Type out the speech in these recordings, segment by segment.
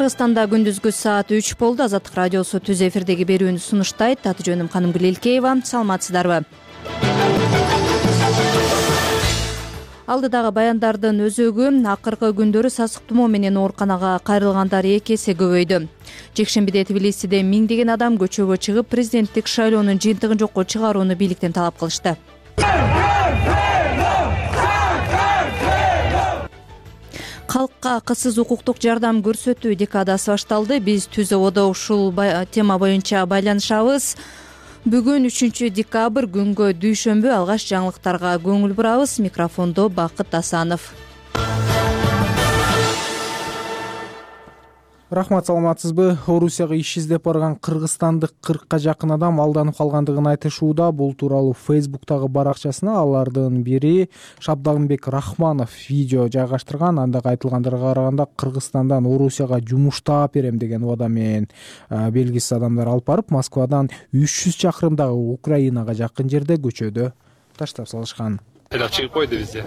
Кыргызстанда күндүзгү саат 3 болду. Азаттык радиосу түз эфирдеги берүүнү сунуштайт. Аты жөнүм Канымгүл Элкеева. Саламатсыздарбы? Алдыдагы баяндардын өзөгү акыркы күндөрү сасык тумоо менен ооруканага кайрылгандар 2 эсе көбөйдү. Жекшембиде Тбилисиде миңдеген адам көчөгө чыгып, президенттик шайлоонун жыйынтыгын жокко чыгарууну бийликтен талап кылышты. Калкка кызсыз укуктук жардам көрсөтүү декадасы башталды. Биз Түз ОБОдо ушул тема боюнча байланышабыз. Бүгүн 3 декабрь күнгө дүйшөмбү. Алгач жаңылыктарга көңүл бурабыз. Микрофондо Бакыт Асанов. Рахмат, саламатсызбы? Орусияга иш издеп барган кыргызстандык 40ка жакын адам алданып калгандыгын айтышууда. Бул тууралуу Facebook'тагы баракчасына алардын бири Шабдагымбек Рахманов видео жайгаштырган. Анда айтылгандарга караганда Кыргызстандан Орусияга жумуш таап берем деген убада менен белгисиз адамдар алып барып, Москвадан 300 чакырымдагы Украинага жакын жерде көчөдө таштап салышкан. Айдап чыгып койду бизди.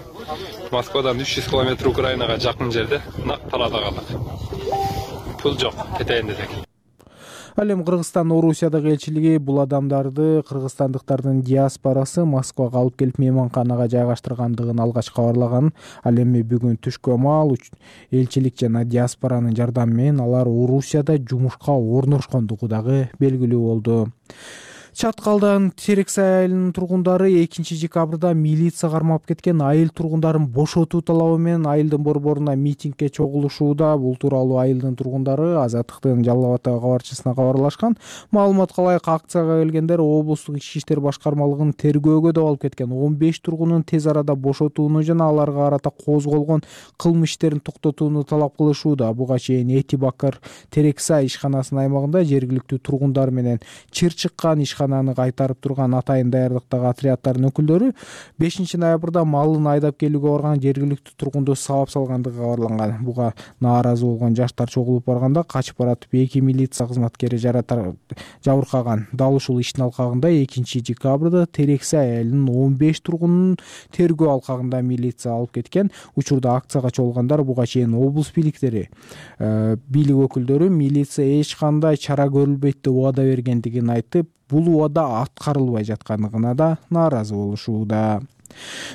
Москвадан 300 километр Украинага жакын жерде нак талаада калдык. Пул жок, кетейин десек. Ал эми Кыргызстан Орусиядагы элчилиги бул адамдарды кыргызстандыктардын диаспорасы Москвага алып келип мейманканага жайгаштыргандыгын алгач кабарлаган. Ал эми бүгүн түшкө маал элчилик жана диаспоранын жардамы менен алар Орусияда жумушка орношкондугу дагы белгилүү болду. Чаткалдан Терексай айылынын тургундары 2 декабрда милиция кармап кеткен айыл тургундарын бошотуу талабы менен айылдын борборуна митингге чогулушууда. Бул тууралуу айылдын тургундары Азаттыктын Жалал Абад кабарчысына кабарлашкан. Маалыматка ылайык, акцияга келгендер облустук ички иштер башкармалыгынын тергөөгө да алып кеткен 15 тургунун тез арада бошотууну жана аларга карата козголгон кылмыш иштерин токтотууну талап кылышууда. Буга чейин Эти Бакыр Терексай ишканасынын аймагында жергиликтүү тургундар менен чыр чыккан ишкананы кайтарып турган атайын даярдыктагы отряддардын өкүлдөрү 5 ноябрда малын айдап келүүгө барган жергиликтүү тургунду сабап салгандыгы кабарланган. Буга нааразы болгон жаштар чогулуп барганда качып баратып 2 милиция кызматкери жабыркаган. Дал ушул иштин алкагында 2 декабрда Терексай айылынын 15 тургунун тергөө алкагында милиция алып кеткен. Учурда акцияга чогулгандар буга чейин облус бийлик өкүлдөрү милиция эч кандай чара көрүлбөйт деп убада бергендигин айтып, бул убада аткарылбай жаткандыгына да нааразы болушууда.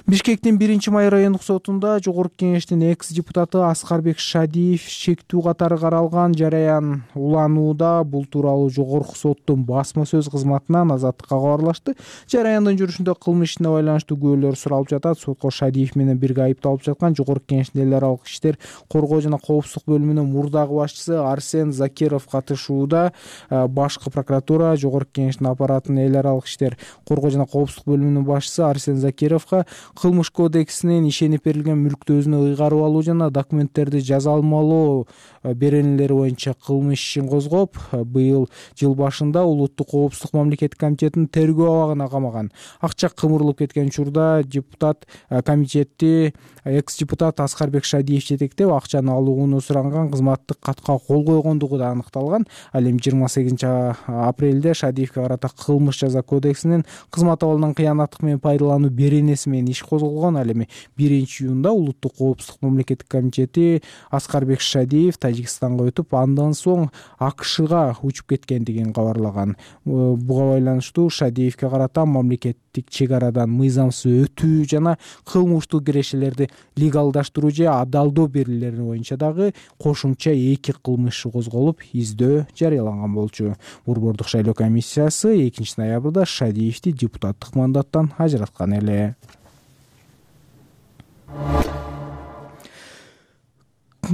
Бишкектин 1-Май райондук сотунда Жогорку Кеңештин экс-депутаты Аскарбек Шадиев шектүү катары каралган жараян уланууда. Бул тууралуу Жогорку соттун басма сөз кызматынан Азаттыкка кабарлашты. Жараяндын жүрүшүндө кылмыш ишине байланыштуу күбөлөр суралып жатат. Сотко Шадиев менен бирге айыпталып жаткан Жогорку Кеңештин эл аралык иштер коргоо жана коопсуздук бөлүмүнүн мурдагы башчысы Арсен Закиров катышууда. Башкы прокуратура Жогорку Кеңештин аппаратынын эл аралык иштер коргоо жана коопсуздук бөлүмүнүн башчысы Арсен Закиров кылмыш кодексинин ишенип берилген мүлктү өзүнө ыйгарып алуу жана документтерди жаза алмалоо беренелери боюнча кылмыш ишин козгоп, быйыл жыл башында улуттук коопсуздук мамлекеттик комитетинин тергөө абагына камаган. Акча кымырылып кеткен учурда депутат комитетти экс-депутат Аскарбек Шадиев жетектеп акчаны алууну суранган кызматтык катка кол койгондугу да аныкталган. Ал эми 28 апрелде Шадиевке карата кылмыш жаза кодексинин кызмат абалынан кыянаттык менен пайдалануу беренеси менен иш козголгон. Ал эми 1-июнда улуттук коопсуздук мамлекеттик комитети Аскарбек Шадиев Тажикстанга өтүп, андан соң АКШга учуп кеткендигин кабарлаган. Буга байланыштуу Шадиевке карата мамлекеттик чек арадан мыйзамсыз өтүү жана кылмыштуу кирешелерди легалдаштыруу же адалдоо берүүлери боюнча дагы кошумча 2 кылмыш козголуп, издөө жарыяланган болчу. Борбордук шайлоо комиссиясы 2 ноябрда Шадиевди депутаттык мандаттан ажыраткан эле.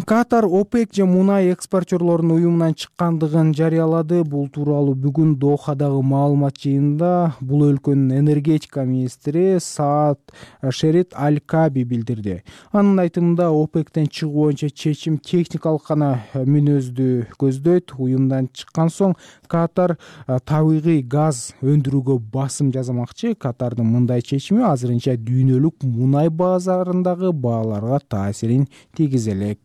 Катар ОПЕК же мунай экспортерлорунун уюмунан чыккандыгын жарыялады. Бул тууралуу бүгүн Дохадагы маалымат жыйынында бул өлкөнүн энергетика министри Саад Шерит Аль-Каби билдирди. Анын айтымында ОПЕКтен чыгуу боюнча чечим техникалык гана мүнөздү көздөйт. Уюмдан чыккан соң Катар табигый газ өндүрүүгө басым жасамакчы. Катардын мындай чечими азырынча дүйнөлүк мунай базарындагы бааларга таасирин тийгизе элек.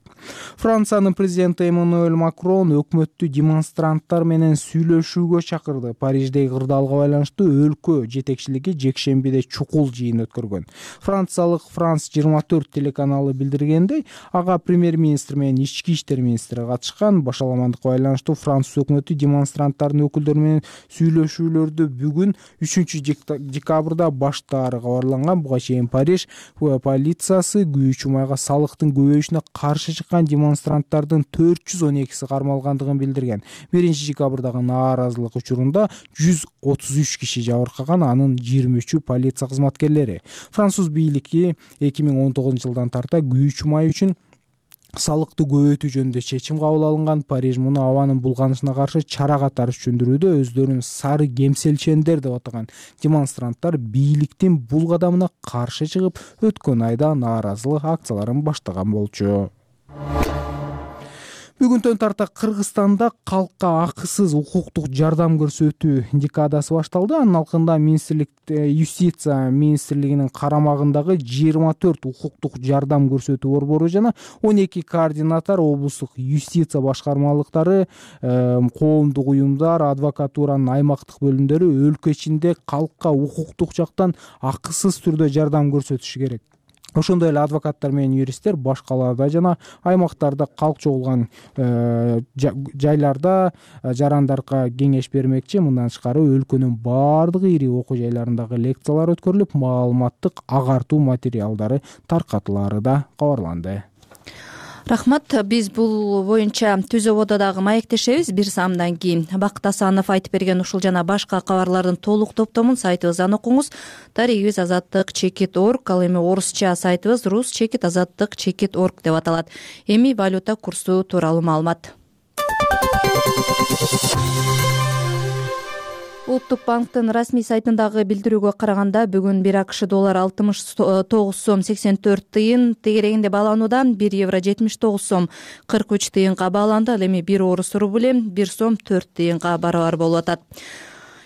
Франциянын президенти Эммануэль Макрон өкмөттү демонстранттар менен сүйлөшүүгө чакырды. Париждеги кырдаалга байланыштуу өлкө жетекчилиги жекшембиде чукул жыйын өткөргөн. Франциялык France 24 телеканалы билдиргендей, ага премьер-министр менен ички иштер министри катышкан. Башаламандыкка байланыштуу Француз өкмөтү демонстранттардын өкүлдөрү менен сүйлөшүүлөрдү бүгүн 3-декабрда баштаары кабарланган. Буга чейин Париж полициясы күйүүчү майга салыктын көбөйүшүнө каршы чыккан демонстранттардын 412си кармалгандыгын билдирген. 1-декабрдагы нааразылык учурунда 133 киши жабыркаган, анын 23-ü полиция кызматкерлери. Француз бийлиги 2019-жылдан тарта күйүүчү май үчүн салыкты көбөйтүү жөнүндө чечим кабыл алынган. Париж муну абанын булганышына каршы чара катары түшүндүрүүдө. Өздөрүн сары кемселчендер деп атаган демонстранттар бийликтин бул кадамына каршы чыгып, өткөн айда нааразылык акцияларын баштаган болчу. Бүгүнтөн тарта Кыргызстанда калкка акысыз укуктук жардам көрсөтүү декадасы башталды. Анын алкында Юстиция министрлигинин карамагындагы 24 укуктук жардам көрсөтүү борбору жана 12 координатор, облустук юстиция башкармалыктары, коомдук уюмдар, адвокатуранын аймактык бөлүмдөрү өлкө ичинде калкка укуктук жактан акысыз түрдө жардам көрсөтүшү керек. Ошондой эле адвокаттар менен юристтер баш калаада жана аймактарда калк чогулган жайларда жарандарга кеңеш бермекчи. Мындан тышкары өлкөнүн бардык ири окуу жайларындагы лекциялар өткөрүлүп, маалыматтык агартуу материалдары таркатылары да кабарланды. Рахмат. Биз бул боюнча Түз обододогу маектешебиз. Бир саамдан кийин Бакыт Асанов айтып берген ушул жана башка кабарлардын толук топтомун сайтыбыздан окуңуз. Тарихибиз azatlyk.org, ал эми орусча сайтыбыз rus-azatlyk.org деп аталат. Эми валюта курсу тууралуу маалымат. Улуттук банктын расмий сайтындагы билдирүүгө караганда, бүгүн 1 АКШ доллары 69 сом 84 тыйын тегерегинде бааланууда, 1 евро 79 сом 43 тыйынга бааланды. Ал эми 1 орус рубли 1 сом 4 тыйынга барабар болуп атат.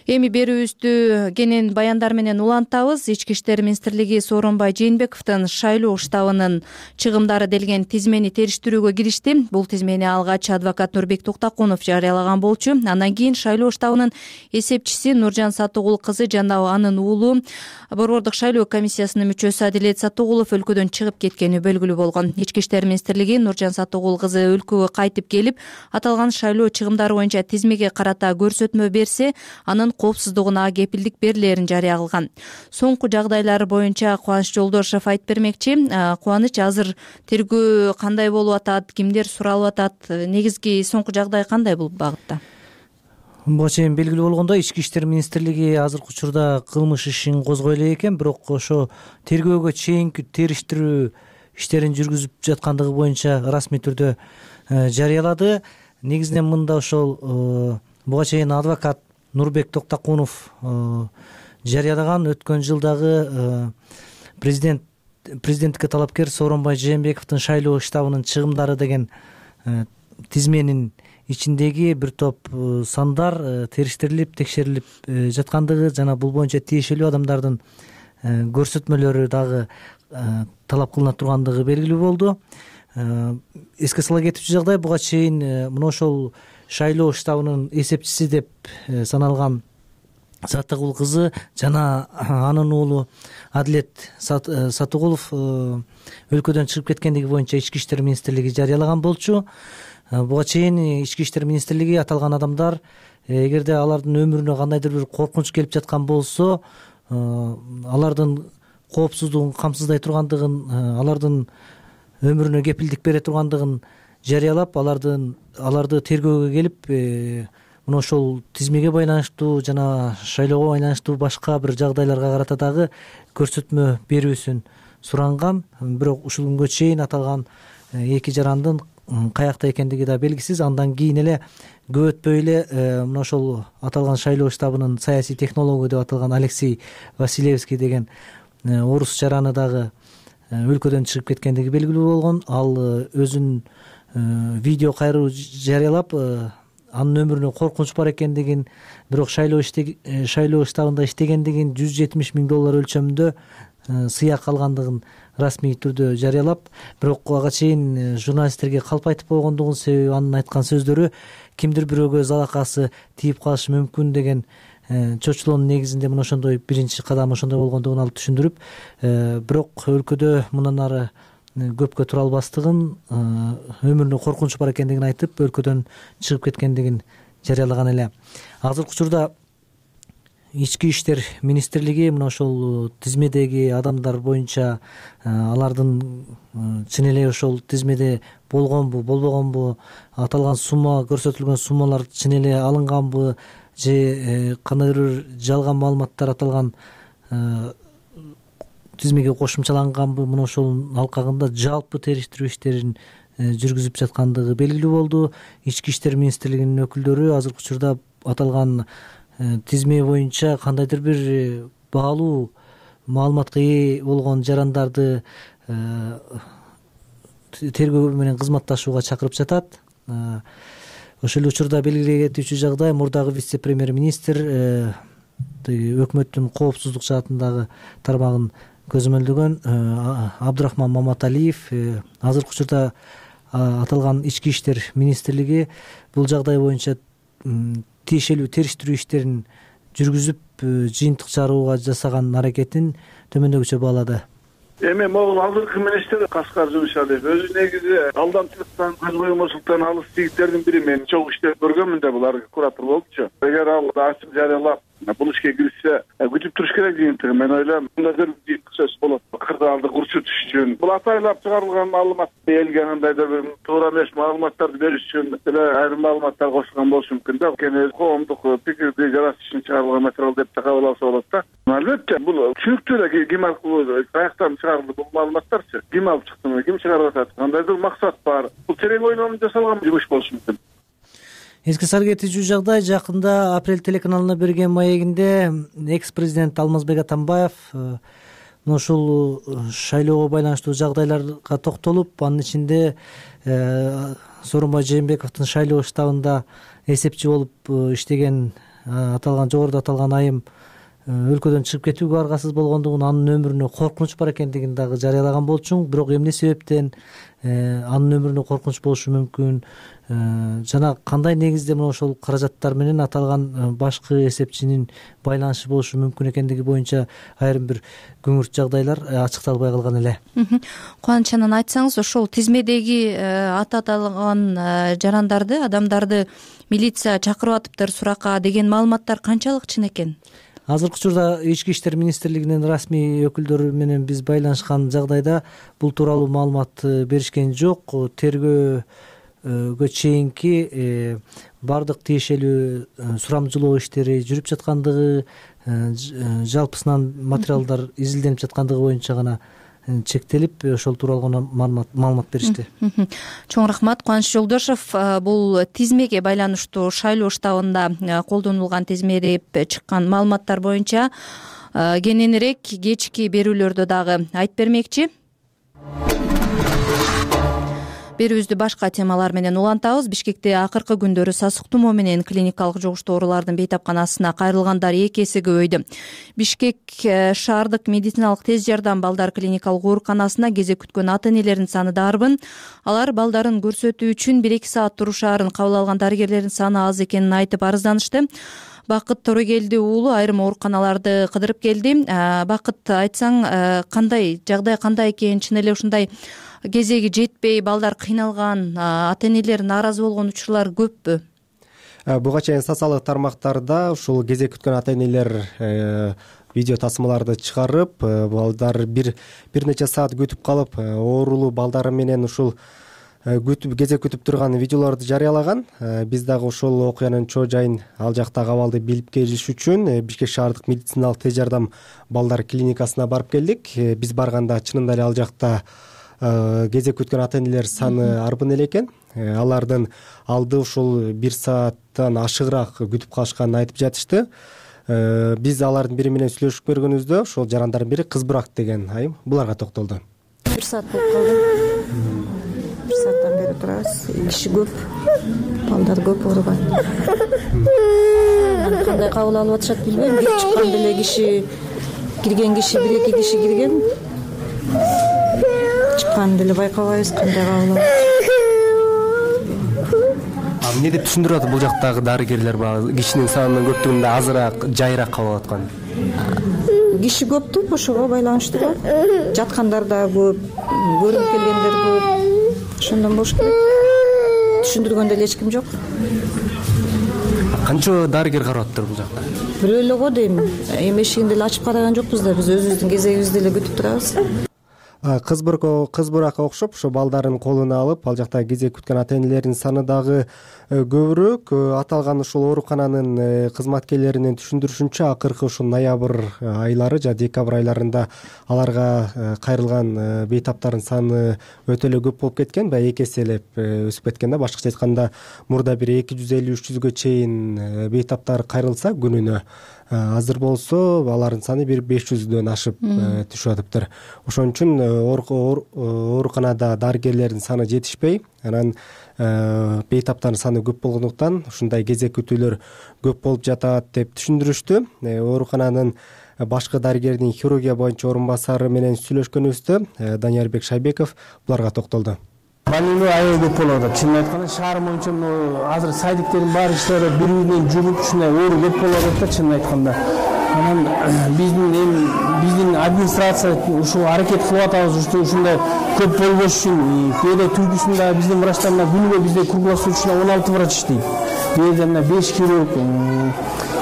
Эми берүүбүздү кенен баяндар менен улантабыз. Ички иштер министрлиги Сооронбай Жээнбековдун шайлоо штабынын чыгымдары делген тизмени териштирүүгө киришти. Бул тизмени алгач адвокат Нурбек Токтакунов жарыялаган болчу. Андан кийин шайлоо штабынын эсепчиси Нуржан Сатыгул кызы жана анын уулу борбордук шайлоо комиссиясынын мүчөсү Адилет Сатыгулов өлкөдөн чыгып кеткени белгилүү болгон. Ички иштер министрлиги Нуржан Сатыгул кызы өлкөгө кайтып келип, аталган шайлоо чыгымдары боюнча тизмеге карата көрсөтмө берсе, анын коопсуздугуна кепилдик берилерин жарыя кылган. Соңку жагдайлар боюнча Кубаныч Жолдошев айтып бермекчи. Кубаныч, азыр тергөө кандай болуп атат, кимдер суралып атат, негизги соңку жагдай кандай бул багытта? Буга чейин белгилүү болгондой, Ички иштер министрлиги азыркы учурда кылмыш ишин козгой элек экен, бирок ошо тергөөгө чейинки териштирүү иштерин жүргүзүп жаткандыгы боюнча расмий түрдө жарыялады. Негизинен мында ошол буга чейин адвокат Нурбек Токтакунов жарыялаган өткөн жылдагы президенттикке талапкер Сооронбай Жээнбековдун шайлоо штабынын чыгымдары деген тизменин ичиндеги бир топ сандар териштирилип, текшерилип жаткандыгы жана бул боюнча тиешелүү адамдардын көрсөтмөлөрү дагы талап кылына тургандыгы белгилүү болду. Эске сала кетүүчү жагдай, буга чейин мына ошол шайлоо штабынын эсепчиси деп саналган Сатыгул кызы жана анын уулу Адилет Сатыгулов өлкөдөн чыгып кеткендиги боюнча Ички иштер министрлиги жарыялаган болчу. Буга чейин Ички иштер министрлиги аталган адамдар эгерде алардын өмүрүнө кандайдыр бир коркунуч келип жаткан болсо, алардын коопсуздугун камсыздай тургандыгын, алардын өмүрүнө кепилдик бере тургандыгын жарыялап, аларды тергөөгө келип, мына ошол тизмеге байланыштуу жана шайлоого байланыштуу башка бир жагдайларга карата дагы көрсөтмө берүүсүн суранган. Бирок ушул күнгө чейин аталган эки жарандын каякта экендиги да белгисиз. Андан кийин эле көп өтпөй эле мына ошол аталган шайлоо штабынын саясий технологу деп аталган Алексей Василевский деген орус жараны дагы өлкөдөн чыгып кеткендиги белгилүү болгон. Ал өзүнүн видео кайруу жарыялап, анын өмүрүнө коркунуч бар экендигин, бирок шайлоо штабында иштегендигин, $170,000 өлчөмүндө сыяк алгандыгын расмий түрдө жарыялап, бирок ага чейин журналисттерге калп айтып койгондугун, себеби анын айткан сөздөрү кимдир бирөөгө залакасы тийип калышы мүмкүн деген чочулоонун негизинде мына ошондой биринчи кадам ошондой болгондугун алып түшүндүрүп, бирок өлкөдө мындан ары көпкө тура албастыгын, өмүрүнө коркунуч бар экендигин айтып, өлкөдөн чыгып кеткендигин жарыялаган эле. Азыркы учурда Ички иштер министрлиги мына ошол тизмедеги адамдар боюнча алардын чын эле ошол тизмеде болгонбу, болбогонбу, аталган сумма, көрсөтүлгөн суммалар чын эле алынганбы же кандайдыр бир жалган маалыматтар аталган тизмеге кошумчаланганбы, мына ошол алкагында жалпы териштирүү иштерин жүргүзүп жаткандыгы белгилүү болду. Ички иштер министрлигинин өкүлдөрү азыркы учурда аталган тизме боюнча кандайдыр бир баалуу маалыматка ээ болгон жарандарды тергөө менен кызматташууга чакырып жатат. Ошол эле учурда белгилей кетүүчү жагдай, мурдагы вице-премьер-министр өкмөттүн коопсуздук жаатындагы тармагын көзөмөлдөгөн Абдурахман Маматалиев азыркы учурда аталган ички иштер министрлиги бул жагдай боюнча тиешелүү териштирүү иштерин жүргүзүп, жыйынтык чыгарууга жасаган аракетин төмөндөгүчө баалады. Эми могул азыркы министр Каскар Жумшалиев өзү негизи алдамчылыктан, көз боемочулуктан алыс жигиттердин бири. Мен чогуу иштеп көргөнмүн да, булар куратор болчу. Эгер ал ачык жарыялап бул ишке киришсе, күтүп туруш керек жыйынтыгы. Мен ойлойм, мындай сөз болот. Кырдаалды курчутуш үчүн, бул атайлап чыгарылган маалымат элге кандайдыр бир туура эмес маалыматтарды бериш үчүн эле айрым маалыматтар кошулган болушу мүмкүн да. Кene коомдук пикирди жаратыш үчүн чыгарылган материал деп кабыл алса болот да. Албетте, бул түшүнүктүү эле. Ким каяктан чыгарылды бул маалыматтарчы? Ким алып чыктымы? Ким чыгарып атат? Кандайдыр максат бар. Бул терең ойлонуп жасалган жумуш болушу мүмкүн. Эске сал кетүүчү жагдай, жакында Апрель телеканалына берген маегинде экс-президент Алмазбек Атамбаев ушул шайлоого байланыштуу жагдайларга токтолуп, анын ичинде Сооронбай Жээнбековдун шайлоо штабында эсепчи болуп иштеген аталган жогоруда аталган айым өлкөдөн чыгып кетүүгө аргасыз болгондугун, анын өмүрүнө коркунуч бар экендигин дагы жарыялаган болчу. Бирок эмне себептен анын өмүрүнө коркунуч болушу мүмкүн жана кандай негизде мына ошол каражаттар менен аталган башкы эсепчинин байланышы болушу мүмкүн экендиги боюнча айрым бир күңүрт жагдайлар ачыкталбай калган эле. Кубаныч анан айтсаңыз, ошол тизмедеги аталган жарандарды, адамдарды милиция чакырып атыптыр суракка деген маалыматтар канчалык чын экен? Азыркы учурда Ички иштер министрлигинин расмий өкүлдөрү менен биз байланышкан жагдайда бул тууралуу маалымат беришкен жок. Тергөөгө чейинки бардык тиешелүү сурамжылоо иштери жүрүп жаткандыгы, жалпысынан материалдар изилденип жаткандыгы боюнча гана чектелип, ошол тууралуу маалымат беришти. Чоң рахмат. Кубаныч Жолдошов, бул тизмеге байланыштуу шайлоо штабында колдонулган тизме деп чыккан маалыматтар боюнча кененирээк кечки берүүлөрдө дагы айтып бермекчи. Берүүбүздү башка темалар менен улантабыз. Бишкекте акыркы күндөрү сасык тумоо менен клиникалык жугуштуу оорулардын бейтапканасына кайрылгандар 2 эсеге көбөйдү. Бишкек шаардык медициналык тез жардам балдар клиникалык ооруканасына кезек күткөн ата-энелердин саны да арбын. Алар балдарын көрсөтүү үчүн 1-2 саат турушаарын кабыл алган дарыгерлердин саны аз экенин айтып арызданышты. Бакыт Торогелди уулу айрым ооруканаларды кыдырып келди. Бакыт, айтсаң, кандай жагдай, кандай экен? Чын эле ушундай кезеги жетпей балдар кыйналган, ата-энелер нааразы болгон учурлар көппү? Буга чейин социалдык тармактарда ушул кезек күткөн ата-энелер видео тасмаларды чыгарып, балдар бир нече саат күтүп калып, оорулуу балдары менен ушул кезек күтүп турган видеолорду жарыялаган. Биз дагы ошол окуянын чоо жайын, ал жактагы абалды билип келиш үчүн Бишкек шаардык медициналык тез жардам балдар клиникасына барып келдик. Биз барганда чынында эле ал жакта кезек күткөн ата-энелер саны арбын эле экен. Алардын алды ушул 1 сааттан ашыгыраак күтүп калышканын айтып жатышты. Биз алардын бири менен сүйлөшүп көргөнүбүздө ошол жарандардын бири Кыз Бурак деген айым буларга токтолду. 1 саат болуп калды. бир сааттан бери турабыз. Киши көп, балдар көп ооруган. Кандай кабыл алып атышат билбейм. Кирип чыккан деле киши, кирген киши 1-2 киши кирген. Чыккан деле байкабайбыз кандай кабыл алып. Эмне деп түшүндүрүп атат бул жактагы дарыгерлер баягы кишинин санынын көптүгүндө азыраак, жайыраак кабыл алып аткан? Киши көп деп ошого байланыштуу да. Жаткандар да көп, көрүнүп келгендер көп. Ошондон болуш керек. Түшүндүргөн деле эч ким жок. Канча дарыгер карап атыптыр бул жакта? Бирөө эле го дейм. Эми эшигин деле ачып караган жокпуз да. Биз өзүбүздүн кезегибизди деле күтүп турабыз. Кыз буракка окшоп ошо балдарын колуна алып, ал жакта кезек күткөн ата-энелердин саны дагы көбүрөөк. Аталган ушул оорукананын кызматкерлеринин түшүндүрүшүнчө, акыркы ушул ноябрь айлары жана декабрь айларында аларга кайрылган бейтаптардын саны өтө эле көп болуп кеткен, баягы 2 эселеп өсүп кеткен да. Башкача айтканда, мурда бир 250-300гө чейин бейтаптар кайрылса күнүнө, азыр болсо алардын саны бир 500дөн ашып түшүп атыптыр. Ошон үчүн ооруканада дарыгерлердин саны жетишпей, анан бейтаптардын саны көп болгондуктан ушундай кезек күтүүлөр көп болуп жатат деп түшүндүрүштү. Оорукананын башкы дарыгердин хирургия боюнча орун басары менен сүйлөшкөнүбүздө Даниярбек Шайбеков буларга токтолду. Больной аябай көп болуп атат. Чынын айтканда, шаар боюнча азыр сайдиктердин баары иштеп атат, бири-биринен жугуп ушундай оору көп болуп атат да, чынын айтканда. Анан биздин администрация ушул аракет кылып атабыз, ушундай көп болбош үчүн. Кээде түнкүсүндө биздин врачтар күнүгө бизде круглосуточно 16 врач иштейт. Кээде 5 хирург,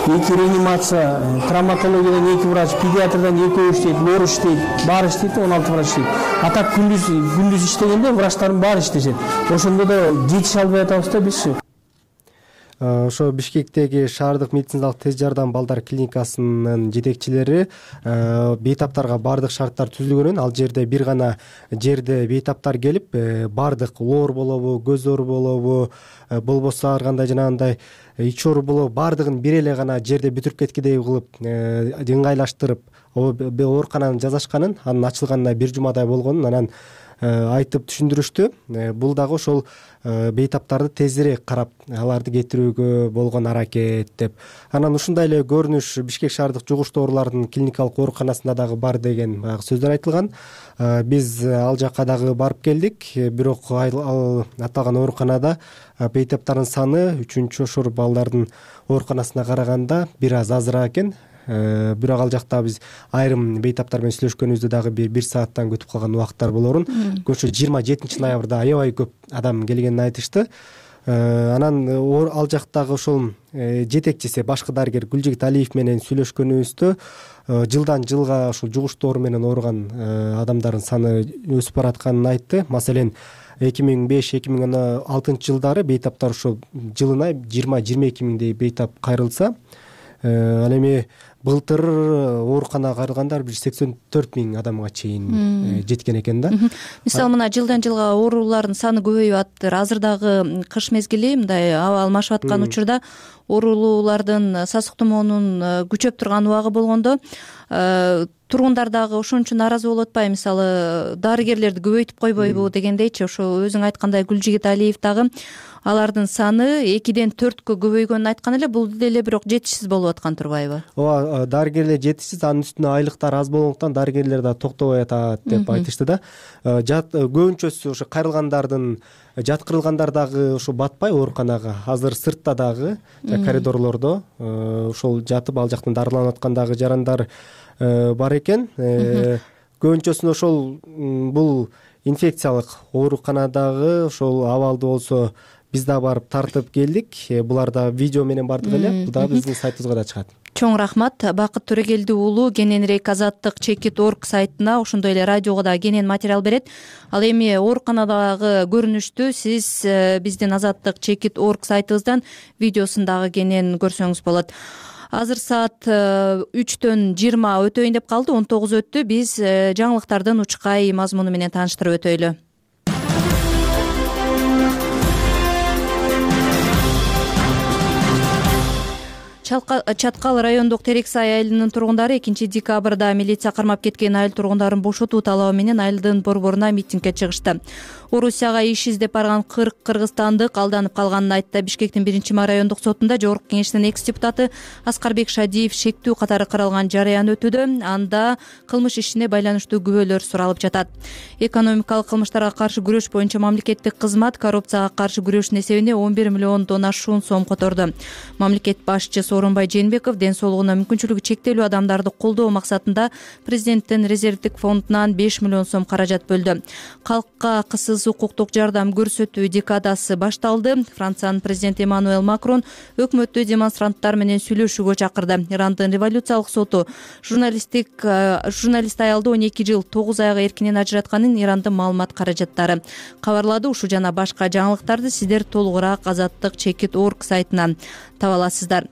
2 реанимация, травматологиядан 2 врач, педиатрдан 2 иштейт, лор иштейт, баары иштейт, 16 врач иштейт. А так күндүз иштегенде врачтардын баары иштешет. Ошондо да жетише албай атабыз да биз. Ошо Бишкектеги шаардык медициналык тез жардам балдар клиникасынын жетекчилери бейтаптарга бардык шарттар түзүлгөнүн, ал жерде бир гана жерде бейтаптар келип, бардык лоор болобу, көз оору болобу, болбосо ар кандай жанагындай ич оору болобу, бардыгын бир эле гана жерде бүтүрүп кеткидей кылып ыңгайлаштырып оорукананын жасашканын, анын ачылганына 1 жумадай болгонун анан айтып түшүндүрүштү. Бул дагы ошол бейтаптарды тезирээк карап аларды кетирүүгө болгон аракет деп. Анан ушундай эле көрүнүш Бишкек шаардык жугуштуу оорулардын клиникалык ооруканасында дагы бар деген баягы сөздөр айтылган. Биз ал жакка дагы барып келдик, бирок аталган ооруканада бейтаптардын саны 3-ошор балдардын ооруканасына караганда бир аз азыраак экен. Бирок ал жакта биз айрым бейтаптар менен сүйлөшкөнүбүздө дагы 1 сааттан күтүп калган убакыттар болорун. Көчө 27 ноябрда аябай көп адам келгенин айтышты. Анан ал жактагы ошол жетекчиси башкы дарыгер Гүлжигит Алиев менен сүйлөшкөнүбүздө жылдан жылга ушул жугуштуу оору менен ооруган адамдардын саны өсүп баратканын айтты. Маселен, 2005-2016 жылдары бейтаптар ошол жылына 20-22 миңдей бейтап кайрылса, ал эми былтыр ооруканага кайрылгандар 84 миң адамга чейин жеткен экен да. Мисалы мына жылдан жылга оорулардын саны көбөйүп атыптыр. Азыр дагы кыш мезгили мындай аба алмашып аткан учурда оорулуулардын, сасык тумоонун күчөп турган убагы болгондо тургундар дагы ошон үчүн нааразы болуп атпайбы? Мисалы дарыгерлерди көбөйтүп койбойбу дегендейчи. Ошо өзүң айткандай Гүлжигит Алиев дагы алардын саны 2-ден 4кө көбөйгөнүн айткан эле. Бул деле бирок жетишсиз болуп аткан турбайбы? Ооба, дарыгерлер жетишсиз, анын үстүнө айлыктар аз болгондуктан дарыгерлер да токтобой атат деп айтышты да. Көбүнчөсү ошо кайрылгандардын, жаткырылгандар дагы ошо батпай ооруканага, азыр сыртта дагы, коридорлордо ошол жатып ал жактан дарыланып аткан дагы жарандар бар экен. Көбүнчөсүн ошол бул инфекциялык ооруканадагы ошол абалды болсо биз да барып тартып келдик. Булар да видео менен бардык эле. Бул да биздин сайтыбызга да чыгат. Чоң рахмат. Бакыт Төрөгелди уулу кененирээк Азаттык Чекит.org сайтына, ошондой эле радиого да кенен материал берет. Ал эми ооруканадагы көрүнүштү сиз биздин Азаттык Чекит.org сайтыбыздан видеосун дагы кенен көрсөңүз болот. Азыр саат 3-төн 20 өтөйүн деп калды, 19 өттү. Биз жаңылыктардын учкай мазмуну менен тааныштырып өтөйлү. Чаткал райондук Терексай айылынын тургундары 2-декабрда милиция кармап кеткен айыл тургундарын бошотуу талабы менен айылдын борборуна митингге чыгышты. Орусияга иш издеп барган 40 кыргызстандык алданып калганын айтты. Бишкектин 1 райондук сотунда жогорку кеңештин экс-депутаты Аскарбек Шадиев шектүү катары каралган жарыян өтүүдө. Анда кылмыш ишине байланыштуу күбөлөр суралып жатат. Экономикалык кылмыштарга каршы күрөш боюнча мамлекеттик кызмат коррупцияга каршы күрөштүн эсебине 11 миллиондон ашуун сом которду. Мамлекет башчысы Сооронбай Жээнбеков ден соолугуна мүмкүнчүлүгү чектелүү адамдарды колдоо максатында президенттин резервдик фондунан 5 миллион сом каражат бөлдү. Калкка кысыз укуктук жардам көрсөтүү декадасы башталды. Франциянын президенти Эммануэль Макрон өкмөттү демонстранттар менен сүйлөшүүгө чакырды. Ирандын революциялык соту журналист аялды 12 жыл 9 айга эркинен ажыратканын Ирандын маалымат каражаттары кабарлады. Ушу жана башка жаңылыктарды сиздер толугураак Азаттык Чекит.org сайтынан таба аласыздар.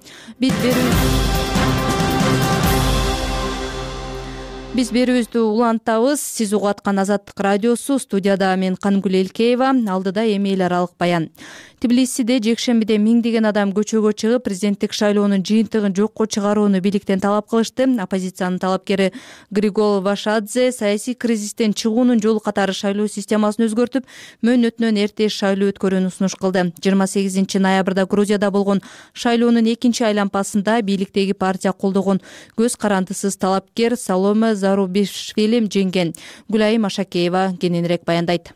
Биз берүүбүздү улантабыз. Сиз угуп аткан Азаттык радиосу. Студияда мен Кангүл Элкеева. Алдыда эми эл аралык баян. Тбилисиде жекшембиде миңдеген адам көчөгө чыгып, президенттик шайлоонун жыйынтыгын жокко чыгарууну бийликтен талап кылышты. Оппозициянын талапкери Григол Вашадзе саясий кризистен чыгуунун жолу катары шайлоо системасын өзгөртүп, мөөнөтүнөн эрте шайлоо өткөрүүнү сунуш кылды. 28 ноябрда Грузияда болгон шайлоонун экинчи айланпасында бийликтеги партия колдогон көз карандысыз талапкер Саломе Зарубишвили жеңген. Гүлайым Ашакеева кененирээк баяндайт.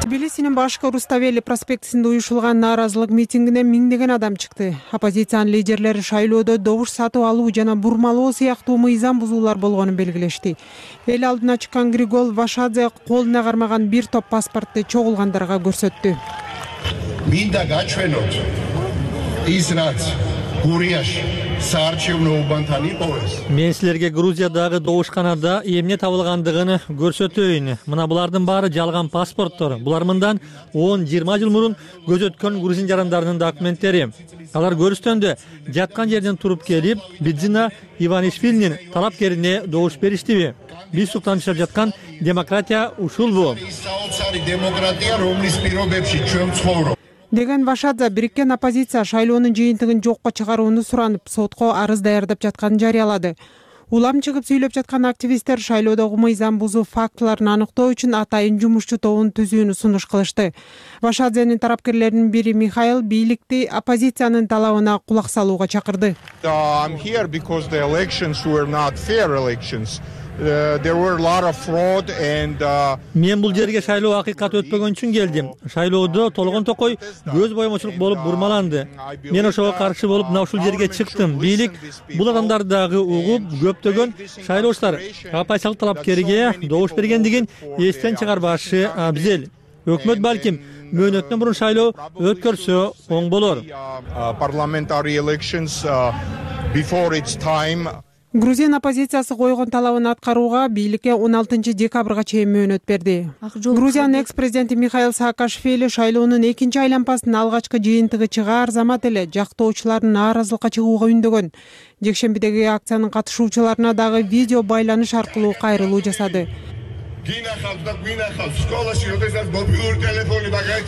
Тбилисинин башкы Руставели проспектисинде уюшулган нааразылык митингине миңдеген адам чыкты. Оппозициянын лидерлери шайлоодо добуш сатып алуу жана бурмалоо сыяктуу мыйзам бузуулар болгонун белгилешти. Эл алдына чыккан Григол Вашадзе колуна кармаган бир топ паспортты чогулгандарга көрсөттү. Минда гачвенот израц Гурияш Мен силерге Грузиядагы добушканада эмне табылгандыгын көрсөтөйүн. Мына булардын баары жалган паспорттор. Булар мындан 10-20 жыл мурун көз өткөн грузин жарандарынын документтери. Алар көрүстөндө жаткан жерден туруп келип, Бидзина Иванишвилинин талапкерине добуш бериштиби? Биз суктан чыгып жаткан демократия ушулбу? Деген Вашадзе бириккен оппозиция шайлоонун жыйынтыгын жокко чыгарууну суранып, сотко арыз даярдап жатканын жарыялады. Улам чыгып сүйлөп жаткан активисттер шайлоодогу мыйзам бузуу фактыларын аныктоо үчүн атайын жумушчу тобун түзүүнү сунуш кылышты. Вашадзенин тарапкерлеринин бири Михаил бийликти оппозициянын талабына кулак салууга чакырды. Мен бул жерге шайлоо акыйкат өтпөгөн үчүн келдим. Шайлоодо толгон токой көз боемочулук болуп бурмаланды. Мен ошого каршы болуп мына ушул жерге чыктым. Бийлик бул адамдарды дагы угуп, көптөгөн шайлоочулар оппозициялык талапкерге добуш бергендигин эстен чыгарбашы абзел. Өкмөт балким мөөнөтүнөн мурун шайлоо өткөрсө оң болор. Грузин оппозициясы койгон талабын аткарууга бийликке 16 декабрга чейин мөөнөт берди. Грузиянын экс-президенти Михаил Саакашвили шайлоонун экинчи айланпасынын алгачкы жыйынтыгы чыгаар замат эле жактоочуларын нааразылыкка чыгууга үндөгөн. Жекшембидеги акциянын катышуучуларына дагы видео байланыш аркылуу кайрылуу жасады.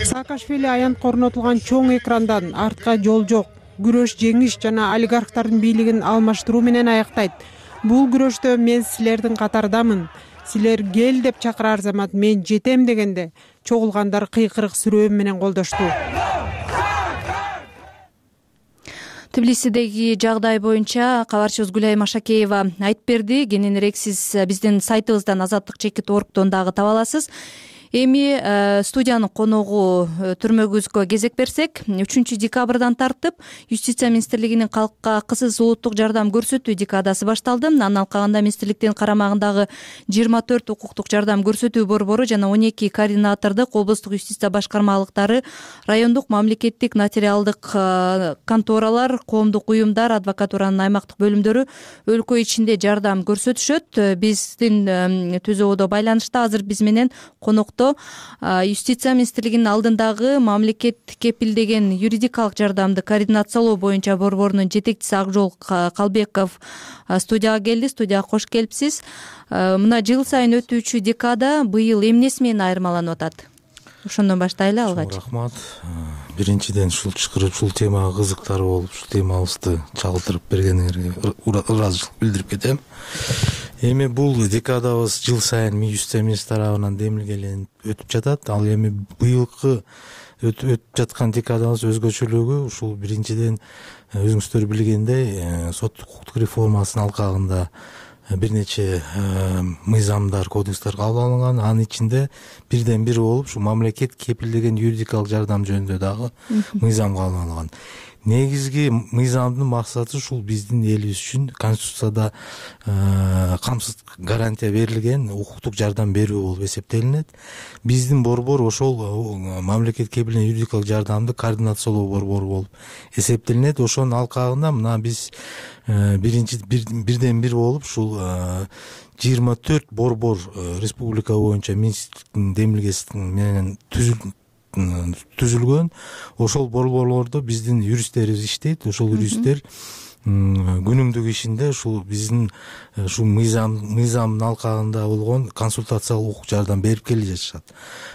Саакашвили аянтка орнотулган чоң экрандан артка жол жок, күрөш жеңиш жана олигархтардын бийлигин алмаштыруу менен аяктайт. Бул күрөштө мен силердин катардамын. Силер кел деп чакырар замат мен жетем дегенде чогулгандар кыйкырык сүрөө менен колдошту. Тбилисидеги жагдай боюнча кабарчыбыз Гүлайым Ашакеева айтып берди. Кененирээк сиз биздин сайтыбыздан Азаттык.org дагы таба аласыз. Эми студиянын коногу түрмөгүбүзгө кезек берсек, 3 декабрдан тартып Юстиция министрлигинин калкка кысыз улуттук жардам көрсөтүү декадасы башталды. Анын алкагында министрликтин карамагындагы 24 укуктук жардам көрсөтүү борбору жана 12 координатордук облустук юстиция башкармалыктары, райондук мамлекеттик нотариалдык конторалар, коомдук уюмдар, адвокатуранын аймактык бөлүмдөрү өлкө ичинде жардам көрсөтүшөт. Биздин түзөөдө байланышта азыр биз менен конокто Юстиция министрлигинин алдындагы мамлекет кепилдеген юридикалык жардамды координациялоо боюнча борборунун жетекчиси Акжол Калбеков студияга келди. Студияга кош келипсиз. Мына жыл сайын өтүүчү декада быйыл эмнеси менен айырмаланып атат? ошондон баштайлы алгач. Рахмат. Биринчиден ушул чакырып ушул темага кызыктар болуп ушул темабызды чагылдырып бергениңерге ыраазычылык билдирип кетем. Эми бул декадабыз жыл сайын министр тарабынан демилгеленип өтүп жатат. Ал эми быйылкы өтүп жаткан декадабыз өзгөчөлүгү ушул биринчиден өзүңүздөр билгендей сот укуктук реформасынын алкагында бир нече мыйзамдар, кодекстер кабыл алынган. Анын ичинде бирден бир болуп ушу мамлекет кепилдеген юридикалык жардам жөнүндө дагы мыйзам кабыл алынган. Негизги мыйзамдын максаты ушул биздин элибиз үчүн Конституцияда камсыз гарантия берилген укуктук жардам берүү болуп эсептелинет. Биздин борбор ошол мамлекет кепилдеген юридикалык жардамды координациялоо борбору болуп эсептелинет. Ошонун алкагында мына биз бирден бир болуп ушул 24 борбор республика боюнча министрликтин демилгеси менен түзүлгөн. Ошол борборлордо биздин юристтерибиз иштейт. Ошол юристтер күнүмдүк ишинде ушул биздин ушул мыйзамдын алкагында болгон консультациялык укук жардам берип келе жатышат.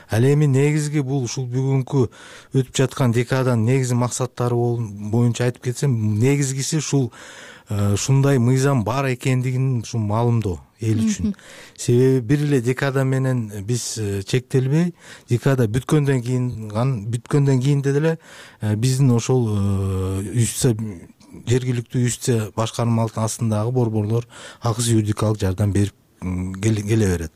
Ал эми негизги бул ушул бүгүнкү өтүп жаткан декаданын негизги максаттары боюнча айтып кетсем, негизгиси ушул ушундай мыйзам бар экендигин ушул маалымдоо эл үчүн. Себеби бир эле декада менен биз чектелбей, декада бүткөндөн кийинде деле биздин ошол жергиликтүү юстиция башкармалыктын астындагы борборлор акысыз юридикалык жардам берип келе берет.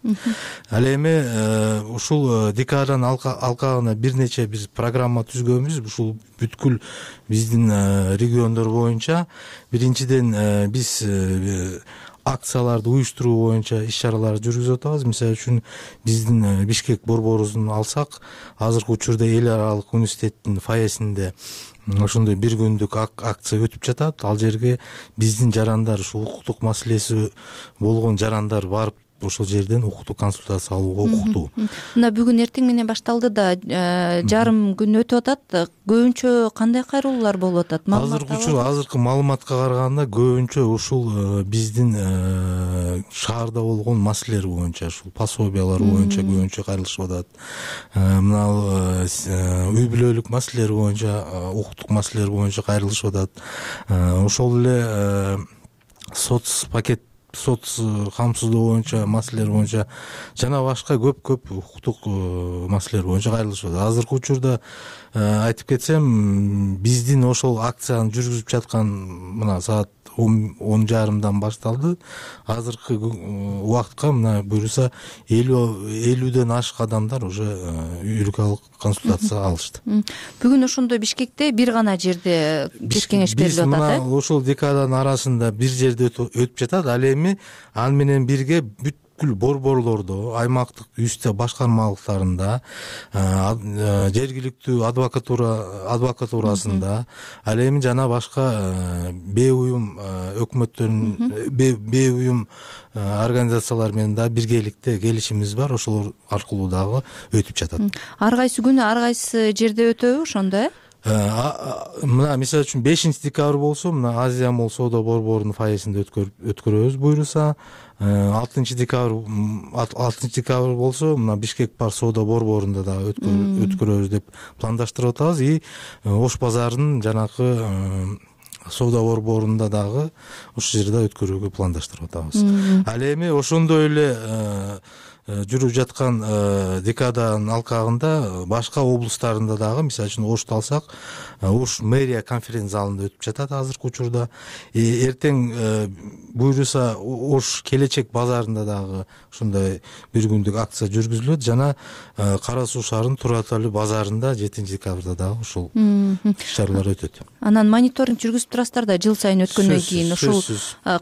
Ал эми ушул декаданын алкагына бир нече биз программа түзгөнбүз. Ушул бүткүл биздин региондор боюнча биринчиден биз акцияларды уюштуруу боюнча иш-чараларды жүргүзүп атабыз. Мисалы үчүн биздин Бишкек борборубузун алсак, азыркы учурда эл аралык университеттин фойесинде ошондой бир күндүк акция өтүп жатат. Ал жерге биздин жарандар, ушул укуктук маселеси болгон жарандар барып ошол жерден укуктук консультация алууга укуктуу. Мына бүгүн эртең менен башталды да, жарым күн өтүп атат. Көбүнчө кандай кайрылуулар болуп атат? Азыркы маалыматка караганда көбүнчө ушул биздин шаарда болгон маселелер боюнча, ушул пособиялар боюнча көбүнчө кайрылышып атат. Мына үй бүлөлүк маселелер боюнча, укуктук маселелер боюнча кайрылышып атат. Ошол эле сот камсыздоо боюнча маселелер боюнча жана башка көп укуктук маселелер боюнча кайрылышып атат. Азыркы учурда айтып кетсем, биздин ошол акцияны жүргүзүп жаткан мына саат 10:30 башталды. Азыркы убакытка мына буюрса 50ден ашык адамдар уже юридикалык консультация алышты. Бүгүн ошондой Бишкекте бир гана жерде кеңеш берилип атат. Биз мына ошол декаданын арасында бир жерде өтүп жатат. Ал эми аны менен бирге бүткүл борборлордо, аймактык юстиция башкармалыктарында, жергиликтүү адвокатурасында, ал эми жана башка бейуюм өкмөттөрүн, бейуюм организациялар менен да биргеликте келишимибиз бар. Ошолор аркылуу дагы өтүп жатат. Ар кайсы күнү ар кайсы жерде өтөбү ошондо? Мына мисалы үчүн 5-декабрь болсо, мына Азия Молл соода борборунун фойесинде өткөрөбүз буюрса. 6-декабрь болсо, мына Бишкек бар соода борборунда да өткөрөбүз деп пландаштырып атабыз. И Ош базарынын жанакы соода борборунда дагы ушул жерде өткөрүүгө пландаштырып атабыз. Ал эми ошондой эле жүрүп жаткан декаданын алкагында башка облустарында дагы, мисалы үчүн Ошто алсак, Ош мэрия конференц залында өтүп жатат азыркы учурда. Эртең буюрса Ош келечек базарында дагы ушундай бир күндүк акция жүргүзүлөт. Жана Кара Суу шаарынын Тураталы базарында 7-декабрда дагы ушул иш-чаралар өтөт. Анан мониторинг жүргүзүп турасыздар да жыл сайын өткөндөн кийин. Ушул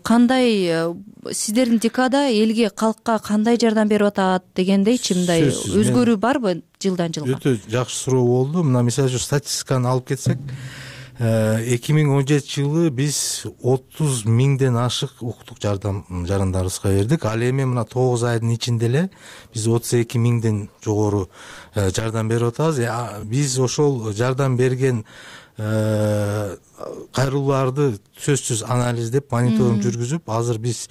кандай сиздердин декада элге, калкка кандай жардам берип атат дегендейчи, мындай өзгөрүү барбы жылдан жылга? Өтө жакшы суроо болду. Мына мисалы үчүн статистиканы алып кетсек, 2017 жылы биз 30 миңден ашык укуктук жарандарыбызга бердик. Ал эми мына 9 айдын ичинде эле биз 32 миңден жогору жардам берип атабыз. Биз ошол жардам берген кайрылууларды сөзсүз анализдеп мониторинг жүргүзүп азыр биз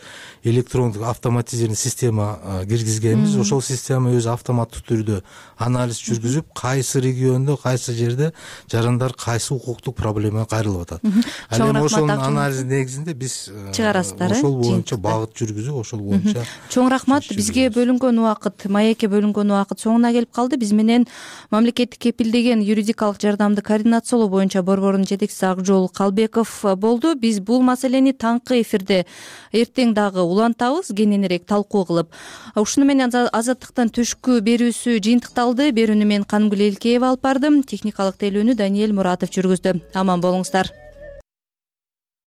электрондук автоматизированный система киргизгенбиз. Ошол система өзү автоматтык түрдө анализ жүргүзүп, кайсы региондо, кайсы жерде жарандар кайсы укуктук проблема кайрылып атат. Ал эми ошонун анализинин негизинде биз чыгарасыздар. Ошол боюнча багыт жүргүзүп, ошол боюнча. Чоң рахмат. Бизге бөлүнгөн убакыт, маекке бөлүнгөн убакыт соңуна келип калды. Биз менен мамлекеттик кепилдеген юридикалык жардамды координациялоо боюнча борбордун жетекчиси Акжол Калбеков болду. Биз бул маселени таңкы эфирде эртең дагы улантабыз, кененирээк талкуу кылып. Ушуну менен Азаттыктын түшкү берүүсү жыйынтыкталды. Берүүнү мен Канымгүл Элкеева алып бардым. Техникалык тейлөөнү Даниэль Муратов жүргүздү. Аман болуңуздар.